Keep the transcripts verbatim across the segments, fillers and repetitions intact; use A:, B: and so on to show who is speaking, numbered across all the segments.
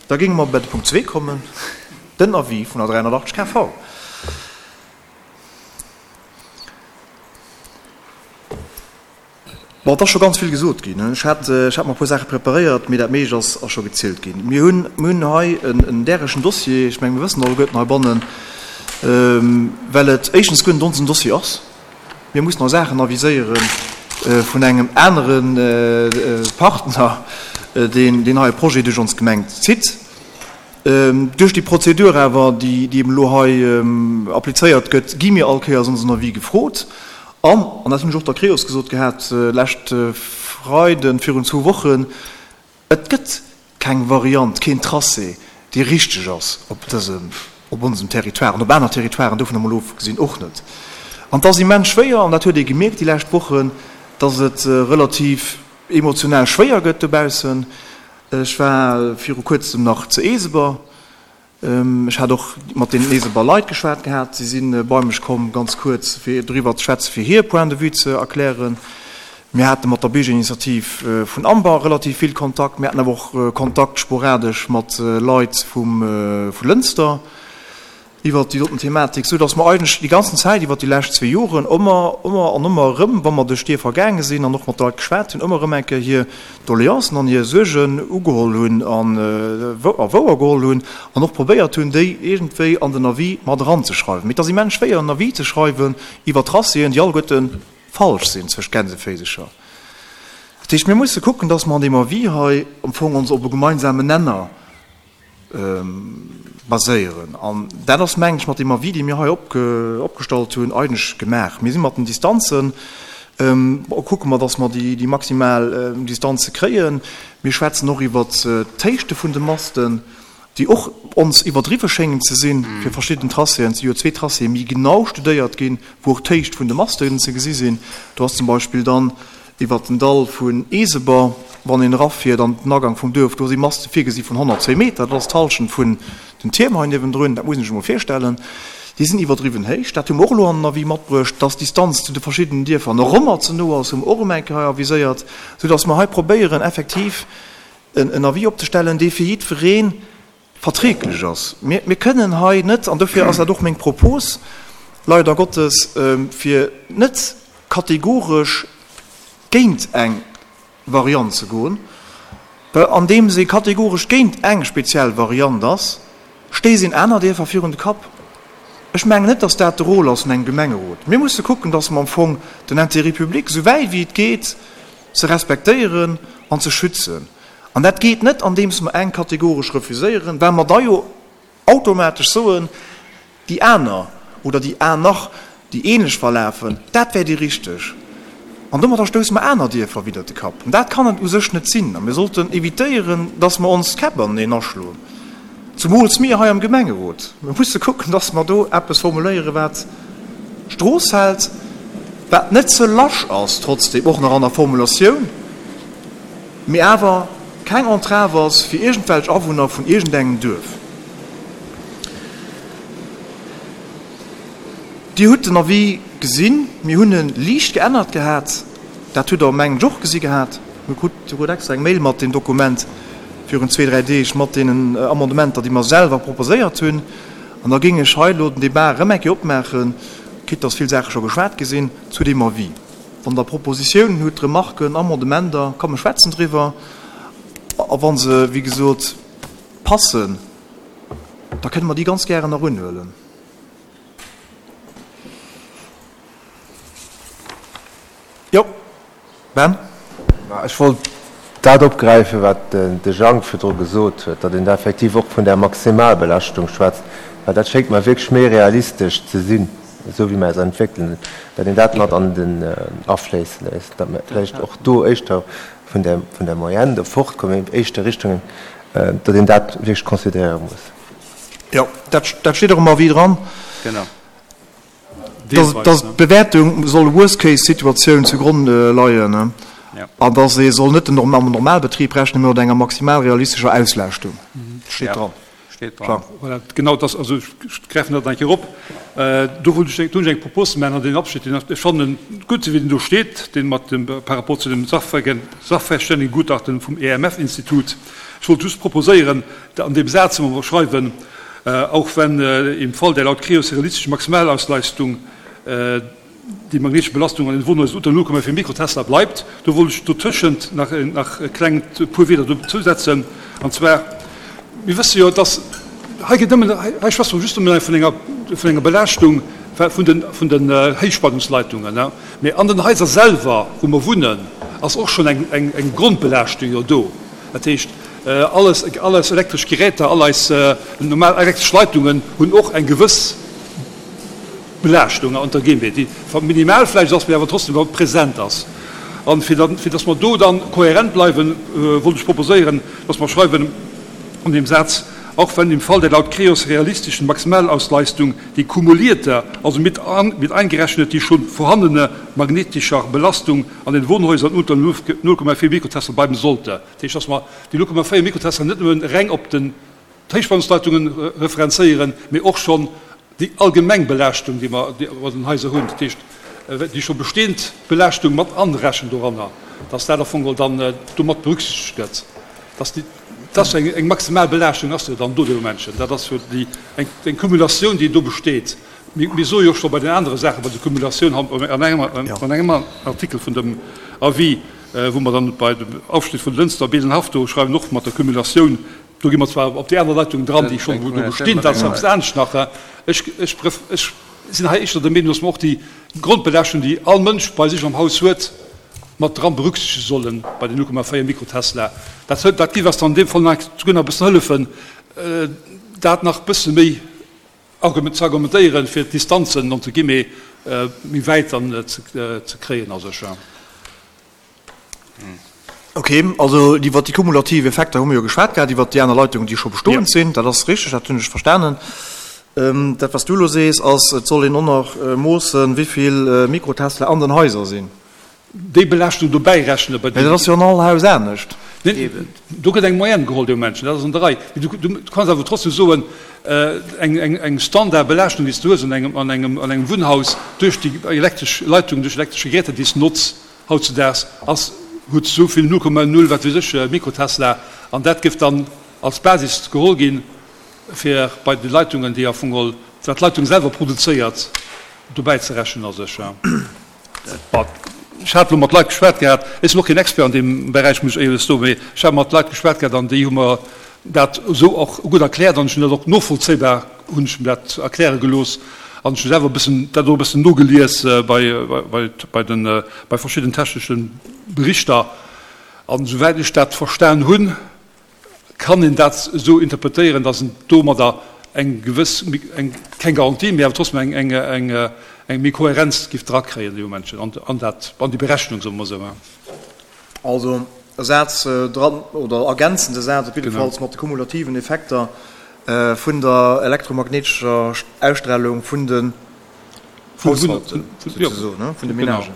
A: Da géinge mer bei de Punkt zwee kommen, den Avis vun der dräihonnertachtzeg K V. Bon, et ass scho ganz vill gesot ginn. Ech hat, ech hat mer e puer Saache preparéiert, mee dat meescht ass, ass scho gezielt ginn. Mir hunn, mir hunn hei en, en därechen Dossier, ech mengen, mir wëssen alleguerten heibannen, well et éischtens guer net onsen Dossier ass. Mir mussen hei Saachen aviséiere vun engem anere Partner, deen, deen hei e Projet duerch ons Gemeng zitt. Duerch déi Prozedur awer, déi, déi eben elo hei applizéiert gëtt, gi mir all Kéiers onsen Avis gefrot. An, an dat hunn ech och der Creos gesot gehat lescht Freiden, virun zwou Wochen, et gëtt keng Variant, keen Tracé, dee richteg ass op dësem, op onsem Territoire an op aner Territoiren, dovun emol ofgesinn, och net. An et ass immens schwéier, an dat huet ee gemierkt déi lescht Wochen, dass et relativ emotionell schwéier gëtt dobaussen. Ech war viru Kuerzem nach zu Eeseber. Ech hat och mat deenen Eeseber Leit geschwat gehat. Si si bei mech komm, ganz kuerz, fir doriwwer ze schwätzen, fir hir Point de vue ze erklären. Mir hate mat der Biergerinitiativ vun Amber relativ vill Kontakt. Mir haten awer och Kontakt sporadesch mat Leit vum, vu Lënster iwwert déi doten Thematik, sou dass mer eigentlech déi ganzen Zäit iwwert déi lescht zwee Joren ëmmer, ëmmer an ëmmer erëm, wa mer duerch d'Dierfer gaange sinn an och mat de Leit geschwat hunn, ëmmer erëm eng Kéier hir Doleancen an hir Suergen ugeholl hunn an a wouer geholl hunn an och probéiert hunn, déi iergendwéi an den Avis mat eranzeschreiwen. Mee et ass immens schwéier, en Avis ze schreiwen iwwer Tracéen, déi alleguerte falsch sinn, zwëscht Gänseféisecher. Dat heescht, mir musse kucken, dass mer an deem Avis hei am Fong ons op e gemeinsamen Nenner baséieren. An dat ass, mengen ech, mat deem Avis, dee mir hei opgestallt hunn, eigentlech gemaach. Mir si mat den Distanzen, kucke mer, dass mer déi maximal Distanze kréien. Mir schwätzen och iwwert d'Héichte vun de Masten, déi och ons iwwerdriwwe schéngen ze sinn fir verschidden Tracéen. Et si jo zwee Tracéë méi genau studéiert ginn, wou och d'Héicht vun de Masten ze gesi sinn. Do ass zum Beispill dann iwwert den Dall vun Eeseber, wann een erafiert an den Agang vum Duerf, do si Maste virgesi vun honnertzéng Meter, dat ass d'Hallschent vun den Tierm hei niewendrun, dat muss een sech emol virstellen. Déi sinn iwwerdriwwen héich. Dat hu mer och elo an den Avis matbruecht. Dass d'Distanz zu de verschiddenen Dierfer nach ëmmer ze no ass, hu mer och erëm eng Kéier hei aviséiert, soudass mer hei probéieren effektiv en Avis opzestellen, dee fir jiddweree verträglech ass. Mir, mir kënnen hei net, an dofir ass dat och meng Propos, leider Gottes, fir net kategoresch géint eng Variant ze goen, well andeems ee kategoresch géint eng speziell Variant ass, stéisst een aner Dierfer virun de Kapp. Ech mengen net, dass dat de Rôle ass vun engem Gemengerot. Mir musse kucken, dass mer am Fong den Intérêt public, esou wäit wéi et geet, ze respektéieren an ze schützen. An dat geet net, andeems mer eng kategoresch refuséieren, well mer da jo automatesch soen, déi aner oder déi aner, déi ähnlech verlafen, dat wär déi richteg. An domadder stousse mer aner Dierfer widder de Kapp. An dat kann et u sech net sinn. A mir sollten evitéieren, dass mer ons d'Käpp aneneen aschloen, zumools mir hei am Gemengerot. Mir musse kucken, dass mer do eppes formuléieren, wat d'Strooss hält, wat net ze lasch ass, trotzdem och nach an der Formulatioun, mee awer keng Entrave ass fir iergendwelch Awunner vun iergendengem Duerf. Dir hutt den Avis gesinn. Mir hunn e liicht geännert gehat. Dat hutt Der, mengen ech, och gesi gehat. Mir krut souguer extra eng Mail mat deem Dokument virun zwee, dräi Deeg mat deenen Amendementer, déi mer selwer proposéiert hunn. An da géing ech hei elo den Débat erëm eng Kéier opmaachen, quitte dass vill Saache scho geschwat gi sinn, zu deem Avis. Wann Der Propositiounen hutt, Remarken, Amendementer, komm mer schwätzen driwwer. A wa se, wéi gesot, passen, da kënne mer déi ganz gären nach unhuelen. Jo, Ben?
B: Ech wollt dat opgräifen, wat de Jang virdru gesot huet, datt een da effektiv och vun där Maximalbelaaschtung schwätzt, well dat schéngt mer wierklech méi realistesch ze sinn, esou wéi mer eis entwéckelen, datt een dat mat an den afléisse léisst, datt mer vläicht och do éischter vun där, vun der Moyenne do fortkommen, éischter Richtung, datt een dat wierklech considéiere muss.
A: Jo, dat, dat steet och am Avis dran.
C: Genau.
A: Dass d'Bewäertung soll Worst-Case-Situatioun zu Gronn leien an dass ee soll net am Normalbetrib rechnen, mee mat enger maximal realistescher Auslaaschtung. Dat steet dran.
C: Steet dran.
D: Voilà, genau das, also ech gräifen dat eng Kéier op. Do wollt ech, do hunn ech eng Propos ze maachen an deen Abschnitt, deen ech fannen gutt, esou wéi deen do steet, deen mat dem, par rapport zu dem Sachverständigengutachten vum E M F-Institut. Ech wollt just proposéieren, an deem Saz, wou mer schreiwen, auch wenn im Fall der laut Creos realistischen Maximalausleistung die magnetische Belastung an den Wohnhäusern unter null Komma vier Mikrotesla bleibt, do wollt ech dotëschent nach, nach e klengt puer Wieder dozusetzen, an zwar, mir wësse jo, dass hei geet nëmmen, hei schwätze mer just nëmmen vun enger, vun enger Belaaschtung vun den, vun den Héichspannungsleitungen, ne? Mee an den Haiser selwer, wou mer wunnen, ass och schonn eng, eng, eng Grondbelaaschtung jo do. Dat heescht, alles, all eis elektresch Geräter, all eis normal elektresch Leitungen hunn och eng gewëss Belaaschtung unter guillemets, déi minimal vläicht ass, mee awer trotzdem present ass. An fir dann, fir dass mer do dann kohärent bleiwen, wollt ech proposéieren, dass mer schreiwen an deem Saz, auch wenn im Fall der laut Creos realistischen Maximalausleistung die kumulierte, also mit an, mit eingerechnet die schon vorhandene magnetischer Belastung an den Wohnhäusern unter null Komma vier Mikrotesla bleiben sollte. Dat heescht, dass mer déi null Komma véier Mikrotesla net nëmmen reng op den Héichspannungsleitungen referenzéieren, mee och schonn déi allgemeng Belaaschtung, déi mer an den Haiser hunn, dat heescht, déi scho bestehend Belaaschtung mat anrechnen doranner, dass dat am Fong dann domat berücksichtegt gëtt, dass déi, dass eng, eng maximal Belaaschtung ass jo dann do dee Momentchen. Dat ass jo déi, eng, eng Cumulatioun, déi do besteet. Mir, mir soe jo scho bei den anere Saachen, bei der Cumulatioun an engem, an engem Artikel vun dem Avis, wou mer dann bei dem Aufschnitt vun Lënster, Beelenhaff do schreiwen, och mat der Cumulatioun, do gi mer zwar op déi aner Leitung dran, déi schonn do bestinn, dat ass eppes anescht nach. Ech, ech, ech sinn hei éischter der Meenung, dass mer och déi Grondbelaaschtung, déi all Mënsch bei sech am Haus huet, mat dran berücksichtegen sollen bei den null Komma véier Mikrotesla. Dat, dat géif eis dann an deem Fall nach souguer nach e bëssen hëllefen, dat nach e bësse méi ze argumentéieren, fir d'Distanzen entre guillemets méi wäit dann ze, ze kréien a sech.
A: Ok, also iwwer déi kumulativ Effekter hu mir jo geschwat gehat, iwwer déi aner Leitungen, déi scho bestoend sinn. Dat ass richteg, dat hunn ech verstanen. Dat, wat s du elo sees, ass, et soll een och nach moossen, wéi vill Mikrotesla an den Haiser sinn.
D: Déi Belaaschtung dobäi rechnen bei
A: Mee dat ass jo an all Haus anescht.
D: Neen, do gëtt eng Moyenne geholl, dee Momentchen, dat ass an der Rei. Mee du, du kanns awer trotzdem soen, eng, eng, eng Standardbelaaschtung, déi s du hues an engem, an engem, an engem Wunnhaus duerch déi elektresch Leitung, duerch elektresch Geräter, déi s du notz hautzedaags, ass, huet esou vill null Komma null wat weess ech Mikrotesla, an dat géif dann als Basis geholl ginn, fir bei de Leitungen, déi am Fong geholl, wat d'Leitung selwer produzéiert, dobäi ze rechnen a sech. Ech hat elo mat Leit geschwat gehat, ech sinn och keen Expert an deem Beräich, muss ech éierlech soen, mee ech hat mat Leit geschwat gehat an déi hu mer dat esou och gutt erkläert an ech hunn dat och novollzéibar, hunn ech mir dat erkläre gelooss an ech hu selwer e bëssen dat och e bëssen nogelies bei, bei, bei den, bei verschidden technesche Berichter an esouwäit ech dat verstan hunn, kann een dat esou interpretéieren, dass en domadder eng gewëss, eng, keng Garantie, mee awer trotzdem eng, eng, eng, eng méi Kohärenz giff drakréien, déi Momentchen, an, an dat, an déi Berechnung, soe mer esou.
A: Also e Saz dran, oder ergänzende Saz op jiddefalls mat de kumulativen Effekter vun der elektromagnetescher Ausstrahlung vun den Haushalten, souzesoen, vun de Ménagen.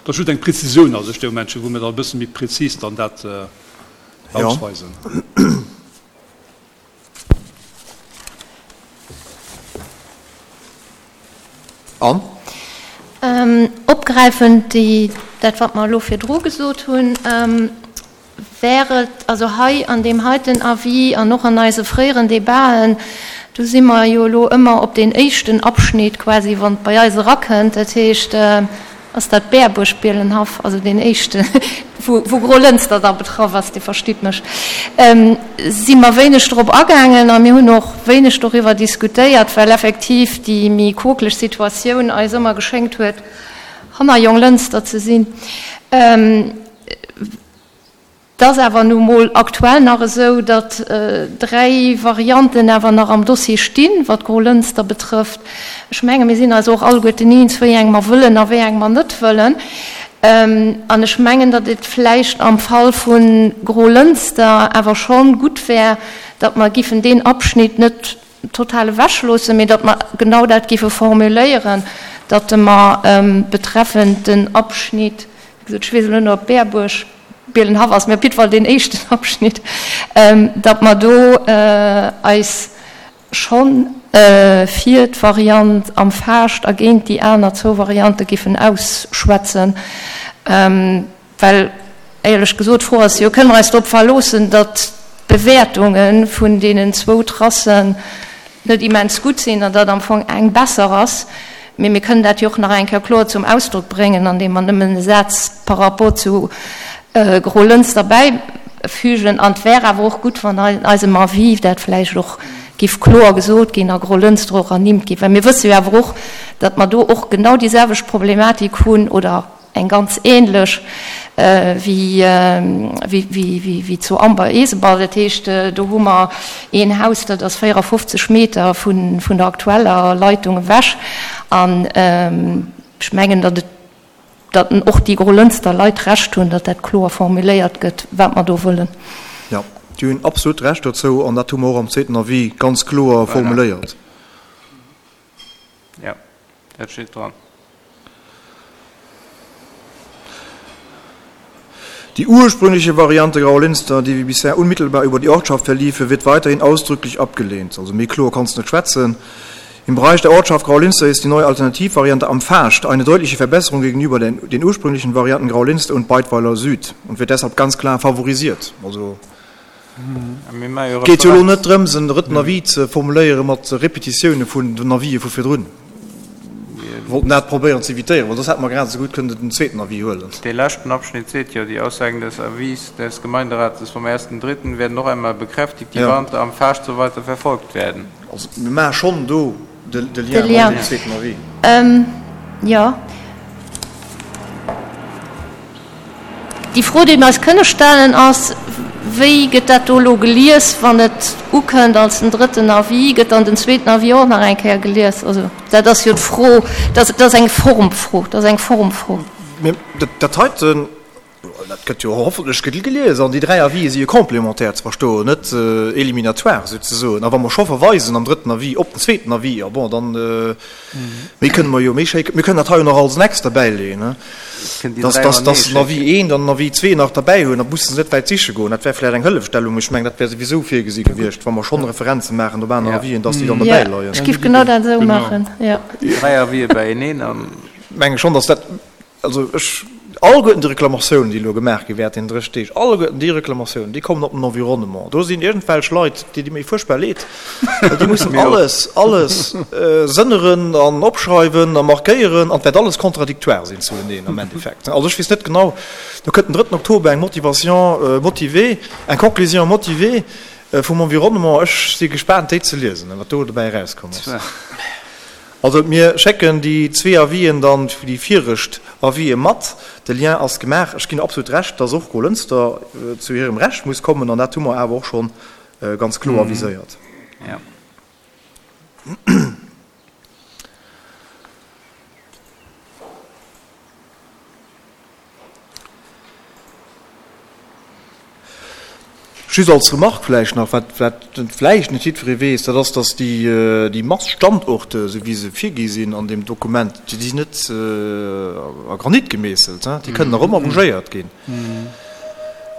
D: Dat ass just eng Präzisioun a sech, déi Momentchen, wou mir da e bësse méi präzis dann dat ausweisen.
A: An?
E: Opgräifend déi, dat wat mer elo virdru gesot hunn, wär et also hei an deem heiten Avis an och an eise fréieren Debaten, do si mer jo elo ëmmer op deen éischten Abschnitt quasi, wann et bei eis erakënnt, dat heescht, ass dat Bäerbuerg-Bielenhaff, also deen éischten, wou, wou Grolënster da betraff ass, Dir verstitt mech, si mer wéineg drop agaangen a mir hunn och wéineg doriwwer diskutéiert, well effektiv déi méi quokeleg Situatioun eis ëmmer geschéngt huet, hanner Jonglënster ze sinn. Et ass awer nu mol aktuell nach esou, datt dräi Varianten awer nach am Dossier stinn, wat Grolënster betrëfft. Ech menge mir sinn eis och alleguerten eens, wéi eng mer wëllen a wéi eng mer net wëllen. An ech mengen, datt et vläicht am Fall vu Grolënster awer schonn gutt wär, datt mer giffen deen Abschnitt net total ewechloossen, mee datt mer genau dat giffe formuléieren, datt mer betreffend den Abschnitt, wéi gesot, ech weess elo net, ob Bäerbuerg, Bielenhaff ass, mee op jiddwer Fall deen éischten Abschnitt, datt mer do eis schonn fir d'Variant am Faascht a géint déi aner zwou Variante giffen ausschwätzen. Well, éierlech gesot, d'Fro ass jo, Kënne mer eis drop verloossen, datt d'Bewäertunge vun deenen zwou Tracen net immens gutt sinn an datt am Fong eng besser ass? Mee mir kënnen dat jo och nach eng Kéier kloer zum Ausdrock bréngen, andeem mer nëmmen e Saz par rapport zu Grolënster bäifügen. An et wär awer och gutt, wann an eisem Avis dat vläicht och giff kloer gesot ginn a Grolënster och ernimmt ginn. Well mir wësse jo awer och, datt mer do och genau déi selwecht Problematik hunn oder eng ganz ähnlech wéi zu Amber-Eeseball. Dat heescht, do hu mer een Haus, dat ass véierafofzeg Meter vun der aktueller Leitung ewech. An ech mengen, datt et, datt och déi Grolënster Leit Recht hunn, datt dat kloer formuléiert gëtt, wat mer do wëllen.
A: Jo, déi hunn absolut Recht dozou an dat hu mer och am zweeten Avis ganz kloer formuléiert.
C: Jo, dat steet dran.
A: Die ursprüngliche Variante Graulinster, die wie bisher unmittelbar über die Ortschaft verliefe, wird weiterhin ausdrücklich abgelehnt. Also méi kloer kanns de net schwätzen. Im Bereich der Ortschaft Graulinster ist die neue Alternativvariante Am Faascht eine deutliche Verbesserung gegenüber den, den ursprünglichen Varianten Graulinster und Beidweiler Süd und wird deshalb ganz klar favorisiert. Also Et geet jo elo net drëms, en drëtten Avis ze formuléiere mat Repetitioune vun den Avisë vu virdrun. Mir wollten dat probéieren ze evitéieren, well soss hätte mer grad esou gutt kënnen den zweeten Avis huelen.
C: Dee leschten Abschnitt seet jo, Die Aussagen des Avis des Gemeinderates vom ersten dritten werden noch einmal bekräftigt, die Variante am Faascht soll weiter verfolgt werden.
A: Also mir maache schonn do de Lien mat deem zweeten Avis.
E: Jo. Déi Fro, déi mir eis kënne stellen, ass, Wéi gëtt dat do elo gelies, wann et ukënnt als den drëtten Avis? Gëtt dann den zweeten Avis och nach eng Kéier gelies? Also dat ass jo d'Fro, dat ass eng Formfro, dat ass eng Formfro.
A: Mä dat heiten, dat gëtt jo hoffentlech gelies an déi dräi Avisë si jo complémentaire ze verstoen, net éliminatoire souzesoen. A wa mer scho verweisen am drëtten Avis op den zweeten Avis, jo bon, dann méi kënne mer jo méi schéi, mir kënnen dat hei jo nach als Annex derbäileeën. Dass, dass, dass den Avis een an den Avis zwee nach derbäi hunn, da musse se net wäit siche goen. Dat wär vläicht eng Hëllefstellung. Ech mengen, dat wär souwisou virgesi gewiescht, wa mer schonn Referenze maachen op aner Avisen, dass déi dann derbäi leien.
E: Ech géif genau dat esou maachen, jo.
C: Dräi Avisë beieneen an.
A: Menge schonn, dass dat, also ech, alleguerten déi Reklamatiounen, déi elo gemaach gi während deenen dréch Deeg, alleguerten déi Reklamatiounen, déi kommen op den Environnement. Do sinn iergendwelch Leit, déi di mir fuerchtbar leed, well déi mussen alles, alles sënneren an opschreiwen a markéieren an et wäert alles contradictoire sinn zueneen am Endeffekt. Also ech weess net genau, do kënnt den drëtten Oktober eng Motivation motivée, eng Conclusion motivée vum Environnement. Ech si gespaant déi ze liesen, wat do dobäi erauskomm ass. Also mir schécken déi zwee Avisen dann, déi viregt Avisë mat. De Lien ass gemaach. Ech ginn absolut Recht, dass och Grolënster zu hirem Recht muss kommen an dat hu mer awer och scho ganz kloer viséiert. Just als Remarque vläicht nach, wat vläicht net jiddweree weess, dat ass, dass déi Maststandorte, esou wéi se virgi sinn an deem Dokument, déi sinn net a Granit gemeesselt, déi kënnen nach ëmmer bougéiert ginn.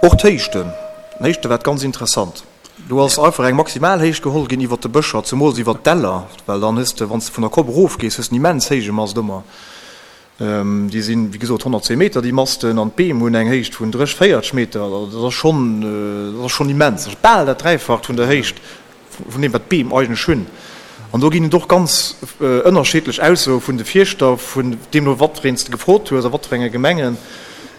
A: Och d'Héichten, d'Héichte wat ganz interessant, do ass einfach eng maximal Héicht geholl ginn iwwert de Bëscher, zemools iwwert d'Däller, well dann hues de, wann s de vun der Kopp erofgees, hues de en immens héije Mast ëmmer. Déi sinn, wéi gesot, honnertzéng Meter, déi Masten, an d'Beem hunn eng Héicht vun dréch, véierteg Meter. Also dat ass schonn, dat ass schonn immens. Dat ass bal dat Dräifacht vun der Héicht vun deem, wat d'Beem eigentlech hunn. An do ginn et och ganz ënnerschiddlech Aussoe vun de Fierschter, vun deemno wat fir een s de gefrot hues a wat fir enge Gemengen.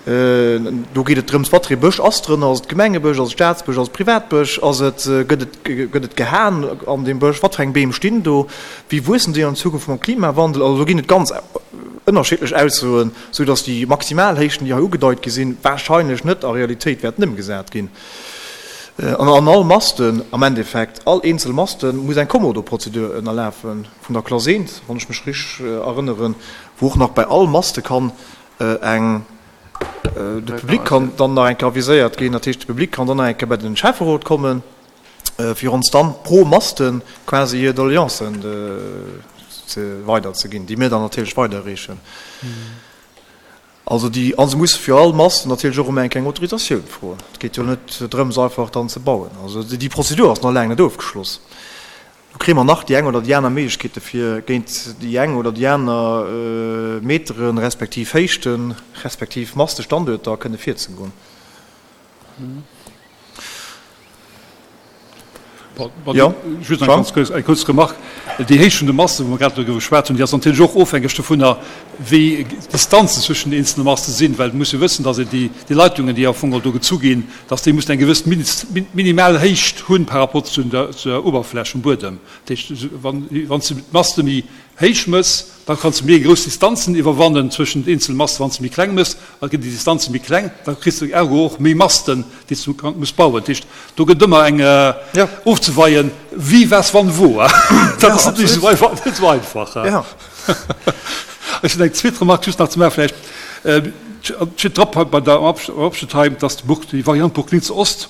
A: Do geet et drëms, wat fir ee Bësch ass drënner, ass et Gemengebësch, ass et Staatsbësch, ass et Privatbësch, ass et, gëtt et, gëtt et gehaen an deem Bësch, wat fir eng Beem stinn do, wéi wuessen déi an Zukunft mam Klimawandel. Also do ginn et ganz ënnerschiddlech Aussoen, sou datt déi Maximalhéichten, déi hei ugedeit gi sinn, wahrscheinlech net a Realitéit wäerten ëmgesat ginn. An an all Masten, am Endeffekt all eenzel Maste muss eng Kommodo-Prozedur ënnerlafen, vun der Klass eent, wann ech mech richteg erënneren, wou och nach bei all Maste kann eng, de Public kann dann nach eng Kéier aviséiert ginn, dat heescht de Public kann dann nach eng Kéier bei den Schäfferot kommen, fir ons dann pro Maste quasi hir Doleancen ze weiderzeginn, déi mir dann natierlech weiderreechen. Also déi, a se musse fir all Mast natierlech och ëmmer eng kleng Autorisatioun froen. Et geet jo net drëms, einfach dann ze bauen. Also déi Prozedur ass nach laang net ofgeschloss. Do kréie mer nach déi eng oder déi aner Méiglechkeete fir géint déi eng oder déi aner Meteren, respektiv Héichten, respektiv Mastestanduerter kënne virzegoen.
D: Jo, Just eng ganz kuerz, eng kuerz Remarque. Déi Héicht vun de Masten, wou mer grad doriwwer geschwat hunn, déi ass natierlech och ofhängeg dovunner, wéi d'Distanzen zwëschen den eenzelne Maste sinn, well et muss jo wëssen, dass een déi, déi Leitungen, déi am Fong do gezu ginn, dass déi mussen eng gewëss minimal Héicht hunn par rapport zu der, zu der Uewerfläch vum Buedem. Dat heescht, wann, wann s de d'Maste méi héich mëss, da kanns de méi grouss Distanzen iwwerwannen zwëschen den eenzelne Masten. Wann s de méi kleng mëss, da ginn déi Distanze méi kleng, da kriss de ergo och méi Masten, déi s du muss bauen. Dat heescht, do gëtt ëmmer eng ofzeweien, wie, was, wann, wo. Dat ass net esou einfach, net esou einfach. Ech hunn eng zweet Remarque just nach ze maachen vläicht. Et steet drop bei der am Abschnitt hei, dass d'Burg, déi Variant Burg-Linz-Ost,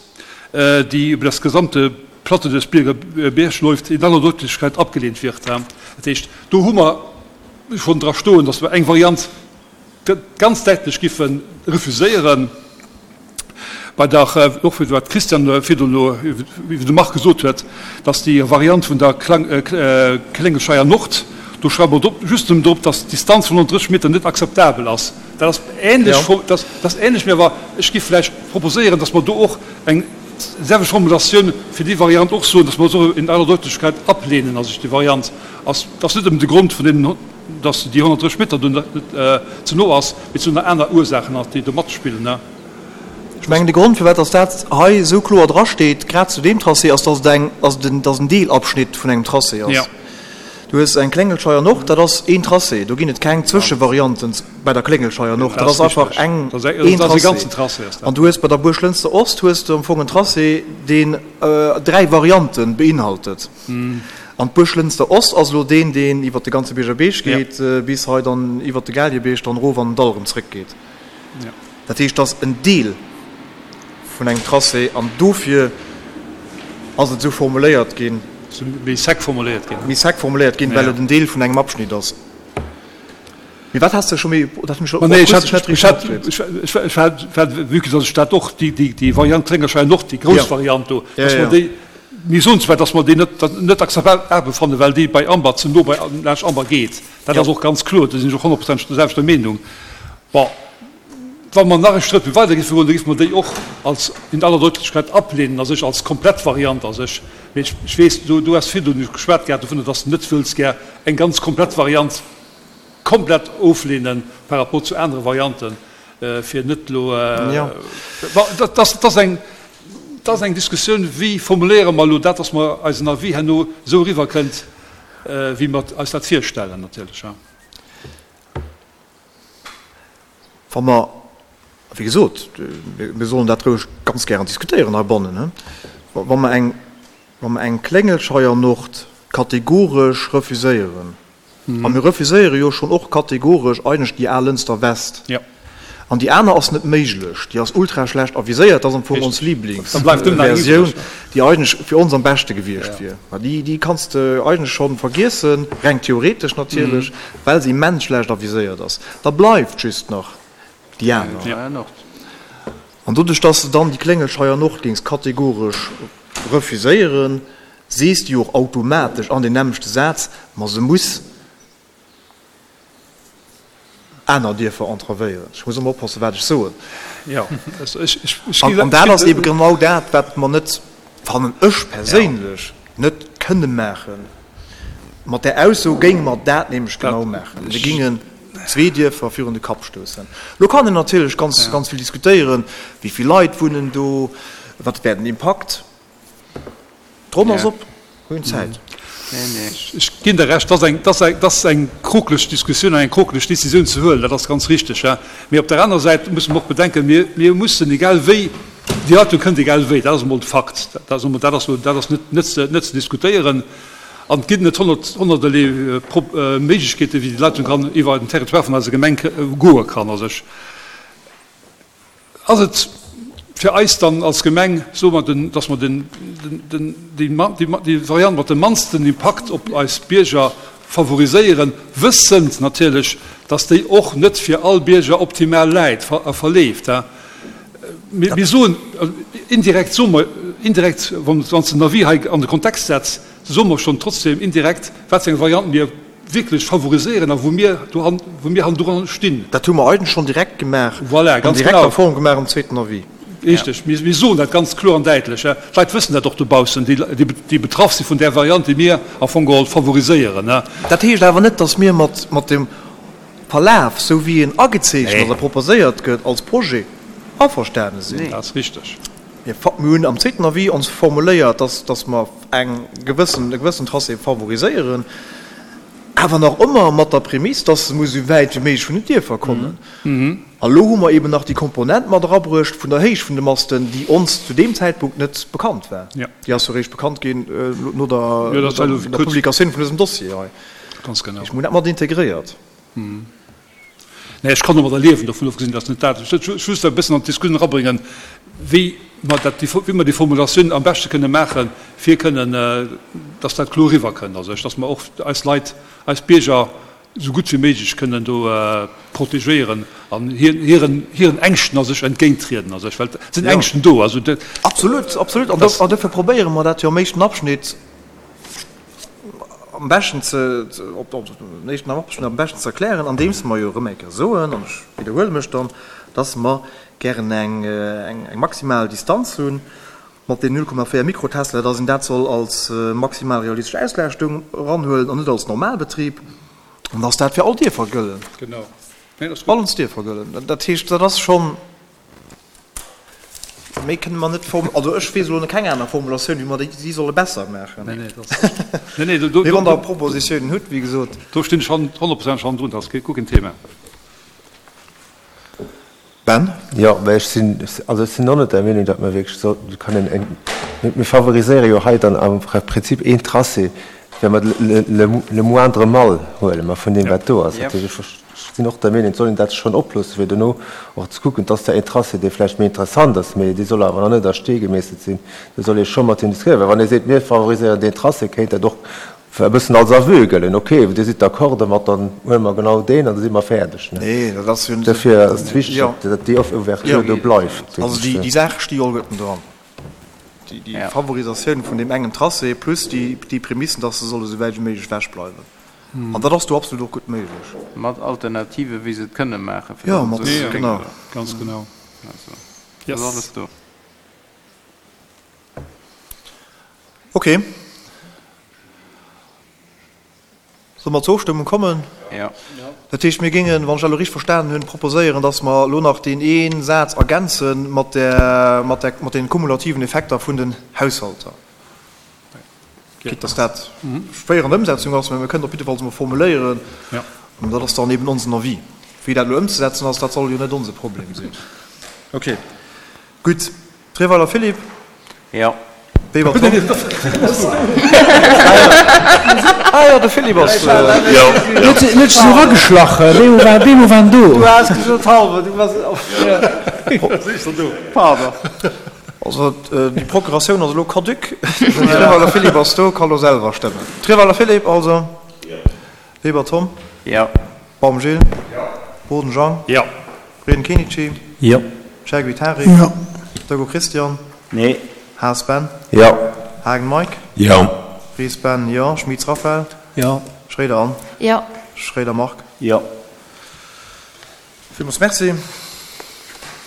D: déi über das gesamte Plateau des Bierger Berg läuft, in aller Deutlichkeit abgelehnt wird. Dat heescht, do hu mer schonn dra stoen, dass mer eng Variant ganz däitlech giffe refuséieren. Bei der, och wéi wat d'Christiane virdrun elo iwwer de Marc gesot huet, dass déi Variant vun der Kléngelscheier Nord, do schreiwe mer drop, just nëmmen drop, dass d'Distanz vun honnertdrësseg Meter net akzeptabel ass. Dat ass ähnlech, dat ass ähnlech, mee awer ech géif vläicht proposéieren, dass mer do och eng selwecht Formulatioun fir déi Variant och soen, dass mer se och in aller Deutlichkeit ablehnen. Also déi Variant ass, ass net nëmmen de Grond vun deenen, dass déi honnertdrësseg Meter do net ze no ass, mee et sinn nach aner Ursaachen nach, déi do matspillen.
A: Ech mengen, de Grond, firwat dass dat hei esou kloer drasteet, grad zu deem Tracé, ass, dass et eng, dass et en, dass en Deelabschnitt vun engem Tracé ass. Du hues eng Kléngelscheier Nord, dat ass een Tracé, do ginn et keng Zwëschevarianten bei der Kléngelscheier Nord, dat ass einfach eng, een Tracé. An du hues bei der Buerglënster Ost hues de am Fong en Tracé, deen dräi Variante beinhaltet. An d'Buerglënster Ost ass elo deen, deen iwwert de ganze Bierger Beech geet, bis hei dann iwwert de Gaaljerbierg dann erof an den Dall erëm zrëckgeet. Dat heescht, dat ass en Deel vun engem Tracé an dofir ass et esou formuléiert ginn.
D: Méi sec formuléiert ginn.
A: Méi sec formuléiert ginn, well et en Deel vun engem Abschnitt ass. Mee wat has de scho méi, dat hunn ech
D: och akustesch net richteg matkritt. Ech hat, vue que datt ech dat och, déi Variant Kléngerschein Nord, déi grouss Variant do, datt mer déi, mir soen zwar, datt mer déi net, net akzeptabel fannen, well déi bei Amber ze no bei laanscht Amber geet. Dat ass och ganz kloer, do sinn ech och honnertprozenteg der selwechter Meenung. Bon. Wa mer nach e Schrëtt méi weider géife goen, da géife mer déi och als in aller Deutlichkeit ablehnen, a sech als komplett Variant a sech. Mee ech, ech weess, du, du has virdrun geschwat gehat dovunner, dass de net wëlls gär eng ganz komplett Variant komplett oflehnen par rapport zu anere Varianten, fir net elo, bon, dat, dat ass eng, dat ass eng Diskussioun, wéi formuléiere mer elo dat, dass mer eisen Avis herno esou eriwwerkënnt, wéi mer eis dat virstellen natierlech.
A: Wa mer, a wéi gesot, mir sollen dat roueg ganz gären diskutéieren heibannen, wa mer eng, wa mer eng Kléngelscheier Nord kategoresch refuséieren, a mir refuséiere jo schonn och kategoresch eigentlech déi al Lënster West, an déi aner ass net méiglech, déi ass ultra schlecht aviséiert, dat ass am Fong ons Lieblingsversioun, déi eigentlech fir ons am beschte gewiescht wier, mä déi, déi kanns de eigentlech schonn vergiessen, reng theoretesch natierlech, well se immens schlecht aviséiert ass. Da bleift just nach déi aner. An doduerch, dass de dann déi Kléngelscheier Nord géings kategoresch refuséieren, sees de jo och automatesch an deem nämmlechte Saz, ma se muss aner Dierfer entravéieren. Ech muss ëmmer oppassen, wat ech soen. An dat ass eebe genau dat, wat mer net, fannen ech perséinlech, net kënne maachen. Mat där Ausso géinge mer dat nämlech genau maachen. Mir gingen zwee Dierfer virun de Kapp stoussen. Elo kann een natierlech ganz, ganz vill diskutéieren, wéi vill Leit wunnen do, wat wär den Impakt. D'Ronn ass op, mir hunn Zäit.
D: Ech ginn der Recht, dat ass eng, dat ass eng krokeleg Diskussioun an eng krokeleg Décisioun ze huelen, dat ass ganz richtig. Mee op der anerer Säit musse mer och bedenken, mir, mir mussen egal wéi, déi Leitung kënnt egal wéi, dat ass emol de Fakt, dat ass emol, dat ass, dat ass net, net ze, net ze diskutéieren. An et ginn net honnert, honnerterlee Méiglechkeeten, wéi déi Leitung kann iwwer den Territoire vun eiser Gemeng goe kann. Also ech, ass et fir eis dann als Gemeng, soe mer, den, dass mer den, den, den, déi, déi, déi Variant mat dem mannsten Impakt op eis Bierger favoriséieren, wëssend natierlech, dass déi och net fir all Bierger optimal läit a verleeft. Mir, mir soen, indirekt soe mer, indirekt, wann s de den Avis hei an de Kontext setz, soe mer schonn trotzdem indirekt, wat fir eng Variant mir wierklech favoriséieren a wou mir dohan, wou mir hannendru stinn.
A: Dat hu mer eigentlech schonn direkt gemaach,
D: Voilà,
A: an
D: ganz
A: direkter
D: genau.
A: Form gemaach am zweeten Avis.
D: Richteg. Mir, mir soen dat ganz kloer an däitlech. D'Leit wëssen dat och dobaussen, déi, déi, déi betraff si vun där Variant, déi mir am Fong geholl favoriséieren.
A: Dat heescht awer net, dass mir mat, mat dem Verlaf, esou wéi en agezeechent ass a proposéiert gëtt als Projet, averstane sinn.
D: Dat ass richteg.
A: Mir hunn am zweeten Avis ons formuléiert, dass, dass mer eng gewëssen, e gewëssen Tracé favoriséieren, awer nach ëmmer mat der Prämiss, dass se muss esou wäit wéi méiglech vun den Dierfer kommen. A lo hu mer eben nach déi Komponent mat erabruecht vun der Héicht vun de Masten, déi ons zu deem Zäitpunkt net bekannt war. Déi ass jo eréischt bekannt ginn no der, der Publikatioun vun dësem Dossier hei.
D: Ganz genau.
A: Ech hunn dat mat integréiert.
D: Nee, ech kann domadder liewen, dovun ofgesinn, dass net dat, ech wëll just e bëssen an d'Diskussioun erabréngen, wéi mer dat, wéi mer déi Formulatioun am beschte kënne maachen, fir kënnen, dass dat kloer eriwwerkënnt, also dass mer och eis Leit, eis Bierger esou gutt wéi méiglech kënnen do protegéieren an hiren, hiren Ängschten a sech entgéinttrieden, also ech, well et sinn Ängschten do, also dat.
A: Absolut, absolut. An dofir probéiere mer dat jo am éischten Abschnitt am beschten ze, op den éischten Abschnitt am beschten ze erklären, andeems mer jo erëm eng Kéier soen, an ech widderhuele mech dann, dass mer gären eng, eng maximal Distanz hunn mat deenen null Komma véier Mikrotesla, dass een dat soll als maximal realistesch Auslaaschtung eranhuelen an net als Normalbetrib, an dass dat fir all Dierfer gëllen, all ons Dierfer gëllen. Dat heescht, dat ass schonn. Méi kënne mer net form, also ech weess elo keng aner Formulatioun, wéi mer déi si solle besser maachen.
D: Nee, nee, dat ass, nee, nee, do, do,
A: Mee wann Der Propositiounen hutt, wéi gesot.
D: Do stinn ech honnertprozenteg hannendrun, dat ass guer keen Thema.
A: Ben?
B: Jo, mä ech sinn, also ech sinn och net der Meenung, datt mer wierklech sollten, kënnen eng, mir favoriséiere jo hei dann am Prinzip een Tracé, well mer le, le moindre mal huele mer vun deem, wat do ass. Dat heescht, ech sinn och der Meenung, et soll een dat schonn oploossen, fir dono och ze kucken, et ass zwar een Tracé, dee vläicht méi interessant ass, mee dee soll awer nach net a Stee gemeesselt sinn. Do soll ee scho mat hinnen diskutéieren, well wann ee seet, mir favoriséieren deen Tracé, kéint dat och e bëssen als Aveu gëllen, ok, Dir sidd d'accord domat, dann huele mer genau deen an da si mer fäerdeg.
A: Nee, dat ass jo.
B: Dofir ass et wichteg, datt déi Ouverture do bleift.
A: Also déi Saache sti jo alleguerten dran. Déi Favorisatioun vun deem engen Tracé plus déi Prämissen, dass se solle sou wäit wéi méiglech ewech bleiwen. An dat ass do absolut och gutt méiglech.
C: Mat Alternative wéi se et kënne maachen,
A: fir
C: dass
A: et
C: esou
A: jo, genau.
D: Ganz genau.
C: Also, dat ass alles do.
A: Okay. Solle mer zur Ofstëmmung kommen?
C: Jo.
A: Dat heescht, mir géingen, wann ech dat elo richteg verstanen hunn, proposéieren, dass mer elo nach deen ee Saz ergänze mat där, mat där, mat deene kumulativen Effekter vun den Haushalter. Quitte dass dat schwéier an der Ëmsetzung ass, mä mir kënnen op jiddefalls emol formuléieren, an dat ass dann eben onsen Avis. Wéi dat elo ëmzesetzen ass, dat soll jo net onse Problem sinn. Okay, gutt. Treweiler Philippe.
C: Jo.
A: Weber Tom. Ah jo, de Philippe ass.
F: Jo.
G: Huet sech esou erageschlach, Bemo war, Bemo war en do.
C: Du has gesot halbe, du bass. Pardon.
A: Also déi Procuratioun ass elo caduc. Den Treweiler Philippe ass do, ka lo selwer stëmmen. Treweiler Philippe also.
F: Jo.
A: Weber Tom.
C: Jo.
A: Baum Gilles.
F: Jo.
A: Boden Jean.
F: Jo.
A: Reden Kenichi.
G: Jo.
A: Chergui Tarik.
G: Jo.
A: Doggo Christian.
F: Nee.
A: Haas Ben.
B: Jo.
A: Haagen Mike.
F: Jo.
A: Ries Ben, jo. Schmitz Raphaël.
G: Jo.
A: Schroeder Anne.
E: Jo.
A: Schroeder Marc.
F: Jo.
A: Villmools Merci.